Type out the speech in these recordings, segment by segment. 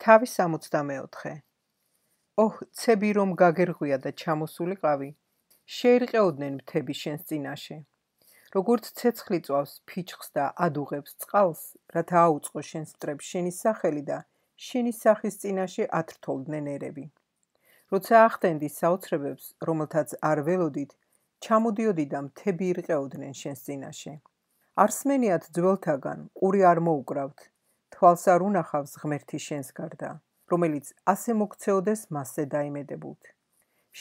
თავი 64. ოჰ, ცები რომ გაგერღვია და ჩამოსულიყავი, შეირყეოდნენ მთები შენს წინაშე. როგორც ცეცხლი წვავს ფიჩხს და ადუღებს წყალს, რათა აუწყო შენს მტრებს შენი სახელი და შენი სახის წინაშე ათრთოლდნენ ერები. როცა ახდენდი საოცრებებს, რომელთაც არ ველოდით, ჩამოდიოდი და მთები ირყეოდნენ შენს წინაშე. არსმენიათ ძველთაგან ყური არ მოუკრავთ, თვალს არ უნახავს ღმერთი შენს გარდა, რომელიც ასე მოგცეოდეს მასზე დაიმედებულთ.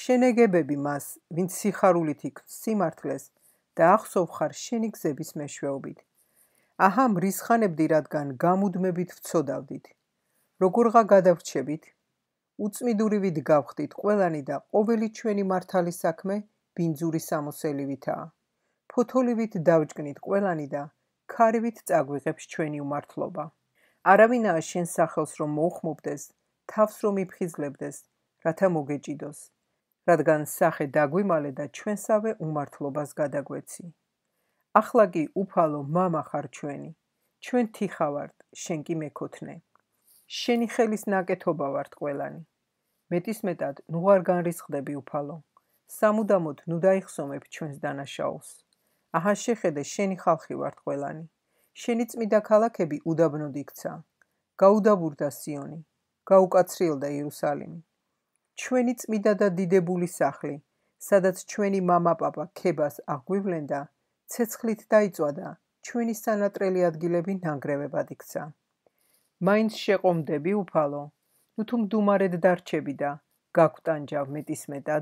შენეგებები მას, ვინც სიხარულით იქნს სიმართლეს და ახსოვ ხარ შენი გზების მეშვეობით. აჰა მრისხანებდი, რადგან გამუდმებით ვცოდავდით. როგორღა გადავრჩებით? უწმიდურივით გავხდით ყველანი და ყოველი ჩვენი მართალი საქმე ბინძური სამოსელივითაა. ფოთოლივით დავჯგნით ყველანი და ქარივით წაგვიღებს ჩვენი უმართლობა. არავინაა შენ სახელს რომ მოუხმობდეს, თავს რომ იფხიზლებდეს, რათა მოგეჭიდოს, რადგან სახე დაგვიმალე და ჩვენსავე უმართლობას გადაგვეცი. ახლა კი უფალო მამა ხარ ჩვენი, ჩვენ თიხა ვართ, შენ კი მეკოთნე. შენი ხელის ნაკეთობა ვართ ყველანი. მეტისმეტად ნუ არ განრისხდები უფალო, სამუდამოდ ნუ დაიხსომებ ჩვენს დანაშაულს. აჰა შეხედე შენი ხალხი ვართ ყველანი. შენი წმიდა ქალაქები უდაბნოდ იქცა. გაუდაბურდა სიონი, გაუკაცრიელდა იერუსალიმი. ჩვენი წმიდა და დიდებული სახლი, სადაც ჩვენი მამა-პაპა ქებას აღგვივლენდა, ცეცხლით დაიწვა, ჩვენი სანატრელი ადგილები ნანგრევებად იქცა. მაინც შეყომდები უფალო, ნუ თუ მდუმარედ დარჩები და გაგვტანჯავ მეტისმეტად.